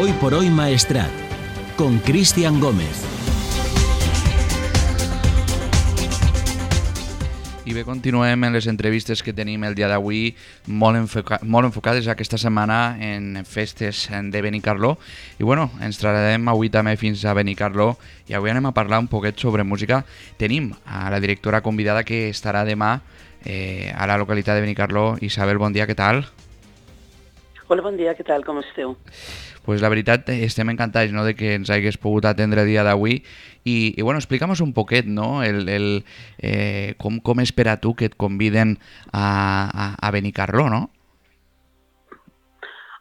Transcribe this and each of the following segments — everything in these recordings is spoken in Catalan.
Hoy por hoy Maestrat, con Cristian Gómez. I bé, continuem en les entrevistes que tenim el dia d'avui molt enfocades aquesta setmana en festes de Benicarló. I bueno, ens trasladem avui també fins a Benicarló i avui anem a parlar un poquet sobre música. Tenim a la directora convidada que estarà demà a la localitat de Benicarló. Isabel, bon dia, què tal? Hola, bon dia, què tal, com esteu? Pues la veritat, estem encantats, no, de que ens hagués pogut atendre el dia d'avui i bueno, explica'm un poquet, no, com és per a tu que et conviden a Benicarló, no?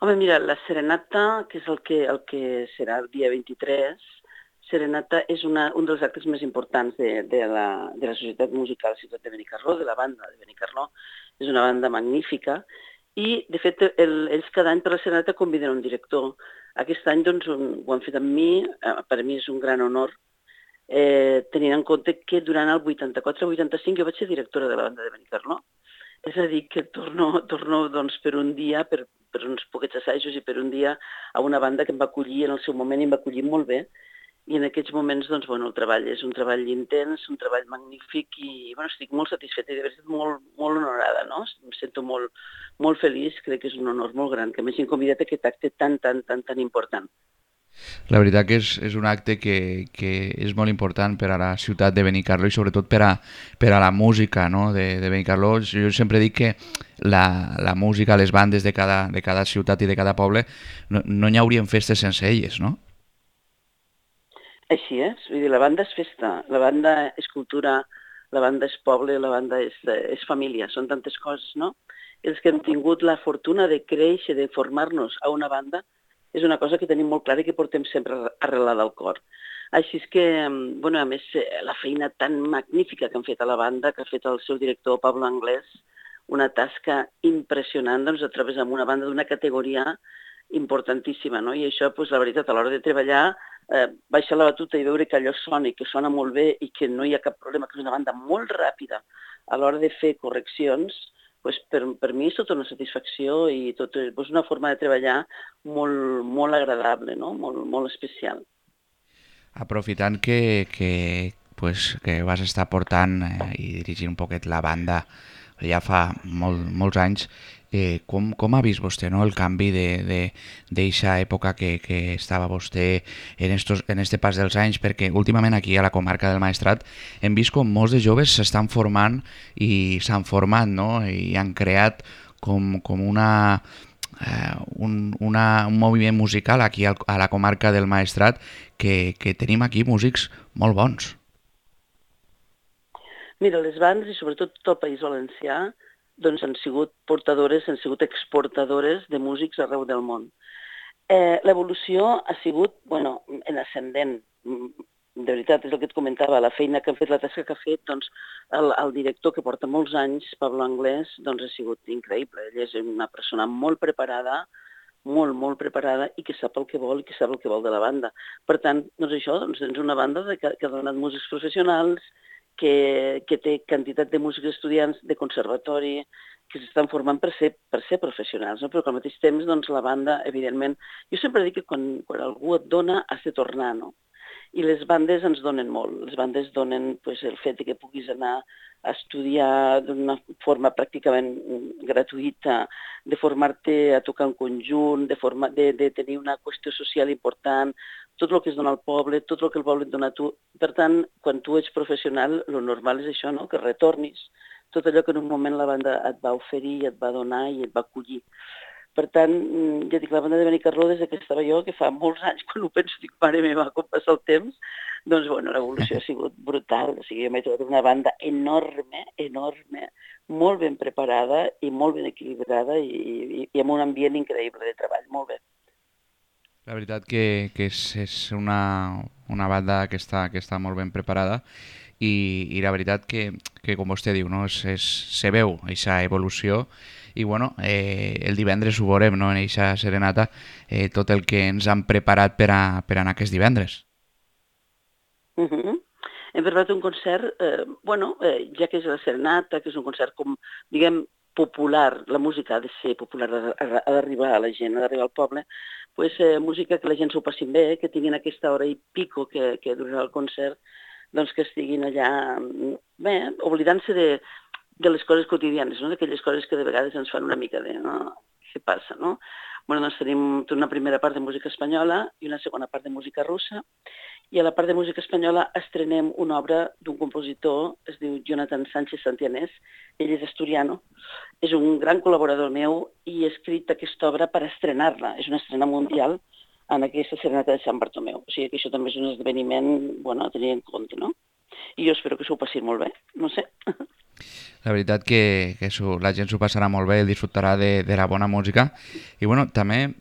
Home, mira, la serenata, que és el que serà el dia 23, serenata és un dels actes més importants de la Societat Musical Ciutat de Benicarló, de la banda de Benicarló. És una banda magnífica i, de fet, ells cada any per la serenata conviden un director. Aquest any doncs, ho han fet amb mi, per a mi és un gran honor, tenint en compte que durant el 84-85 jo vaig ser directora de la banda de Benicarló. És a dir, que torno doncs, per un dia, per uns poquets assajos i per un dia a una banda que em va acollir en el seu moment i em va acollir molt bé. I en aquests moments, doncs, bueno, el treball és un treball intens, un treball magnífic i bueno, estic molt satisfeta i de veritat molt, molt honorada, no? Em sento molt, molt feliç, crec que és un honor molt gran que m'hagin convidat a aquest acte tan important. La veritat que és un acte que és molt important per a la ciutat de Benicarló i sobretot per a la música, no, de Benicarló. Jo sempre dic que la música, les bandes de cada ciutat i de cada poble no hi haurien festes sense elles, no? Així és, vull dir, la banda és festa, la banda és cultura, la banda és poble, la banda és família, són tantes coses, no? Els que hem tingut la fortuna de créixer, de formar-nos a una banda, és una cosa que tenim molt clara i que portem sempre arrelada al cor. Així és que, bueno, a més, la feina tan magnífica que han fet a la banda, que ha fet el seu director Pablo Anglès, una tasca impressionant, doncs, a través d'una banda d'una categoria importantíssima, no? I això, doncs, la veritat, a l'hora de treballar, baixar la batuta i veure que allò sona i que sona molt bé i que no hi ha cap problema, que és una banda molt ràpida a l'hora de fer correccions, doncs per mi és tota una satisfacció i és una forma de treballar molt, molt agradable, no? Molt especial. Aprofitant que vas estar portant i dirigint un poquet la banda ja fa molts anys, com ha vist vostè, no, el canvi d'eixa època que estava vostè en este pas dels anys? Perquè últimament aquí a la comarca del Maestrat hem vist com molts de joves s'estan formant i s'han format, no? I han creat com un moviment musical aquí a la comarca del Maestrat que tenim aquí músics molt bons. Mira, les bandes, i sobretot tot el País Valencià, doncs han sigut portadores, han sigut exportadores de músics arreu del món. L'evolució ha sigut, bueno, en ascendent. De veritat, és el que et comentava, la feina que han fet, la tasca que ha fet, doncs, el director que porta molts anys, Pablo Anglès, doncs ha sigut increïble. Ell és una persona molt preparada, molt preparada i que sap el que vol i que sap el que vol de la banda. Per tant, doncs això, doncs, tens una banda que ha donat músics professionals, que té quantitat de músics estudiants de conservatori que s'estan formant per ser professionals, no? Però al mateix temps, doncs, la banda, evidentment... Jo sempre dic que quan algú et dona, has de tornar, no? I les bandes ens donen molt. Les bandes donen el fet que puguis anar a estudiar d'una forma pràcticament gratuïta, de formar-te a tocar en conjunt, de tenir una qüestió social important, tot el que es dona al poble, tot el que el poble et dona a tu. Per tant, quan tu ets professional, el normal és això, no? Que retornis tot allò que en un moment la banda et va oferir, et va donar i et va acollir. Per tant, ja dic, la banda de Benicarló, des que estava jo, que fa molts anys, quan ho penso, dic, mare meva, com passa el temps, doncs, bueno, l'evolució ha sigut brutal. O sigui, jo m'he trobat una banda enorme, molt ben preparada i molt ben equilibrada i amb un ambient increïble de treball, molt bé. La veritat que és una banda que està molt ben preparada i la veritat que com vostè diu, no? Se veu aquesta evolució i bueno, el divendres ho veurem, no? En aquesta serenata, tot el que ens han preparat per anar aquest divendres. Hem preparat un concert, ja que és la serenata, que és un concert com, diguem, popular, la música ha de ser popular, ha d'arribar a la gent, ha d'arribar al poble, pues, música que la gent s'ho passin bé, que tinguin aquesta hora i pico que durarà el concert, doncs que estiguin allà, bé, oblidant-se de les coses quotidianes, no? D'aquelles coses que de vegades ens fan una mica de què passa, no? Bueno, doncs tenim una primera part de música espanyola i una segona part de música russa, i a la part de música espanyola estrenem una obra d'un compositor, es diu Jonathan Sánchez Santianés, ell és asturiano, és un gran col·laborador meu i he escrit aquesta obra per estrenar-la, és una estrena mundial en aquesta serenata de Sant Bartomeu. O sigui que això també és un esdeveniment, bueno, a tenir en compte, no? I jo espero que s'ho passin molt bé, no sé. La veritat que la gent s'ho passarà molt bé, disfrutarà de la bona música. I bueno, també,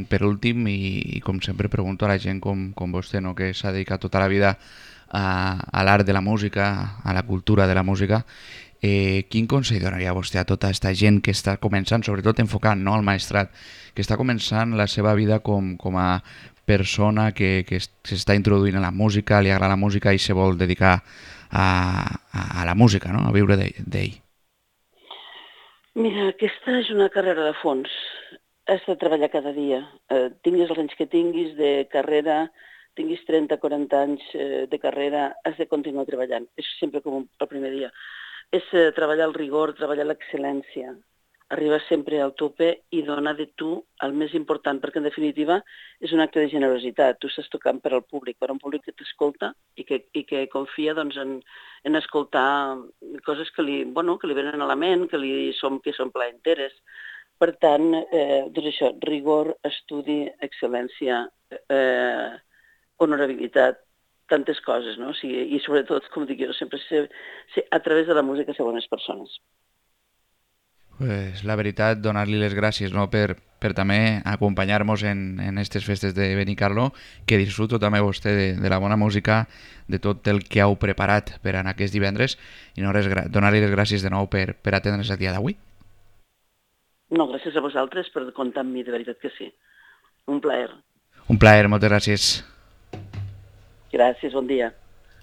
per últim, i com sempre pregunto a la gent com vostè, no? Que s'ha dedicat tota la vida a l'art de la música, a la cultura de la música, quin consell donaria vostè a tota aquesta gent que està començant, sobretot enfocant, no, al maestrat, que està començant la seva vida com a persona que s'està introduint a la música, li agrada la música i se vol dedicar a la música, no? A viure d'ell. Mira, aquesta és una carrera de fons. Has de treballar cada dia. Tinguis els anys que tinguis de carrera, tinguis 30-40 anys de carrera, has de continuar treballant. És sempre com el primer dia. És treballar el rigor, treballar l'excel·lència, arribar sempre al tope i donar de tu el més important, perquè en definitiva és un acte de generositat. Tu estàs tocant per al públic, per a un públic que t'escolta i que confia doncs, en escoltar coses que li venen a la ment, que són plaenteres. Per tant, doncs això, rigor, estudi, excel·lència, honorabilitat, tantes coses, no? O sigui, i sobretot, com dic jo, sempre ser a través de la música ser bones persones. Pues la veritat, donar-li les gràcies, no? per també acompanyar-nos en aquestes festes de Benicarló, que disfruto també vostè de la bona música, de tot el que heu preparat per en aquest divendres, i no donar-li les gràcies de nou per atendre's el dia d'avui. No, gràcies a vosaltres per comptar amb mi, de veritat que sí. Un plaer. Un plaer, moltes gràcies. Gràcies, bon dia.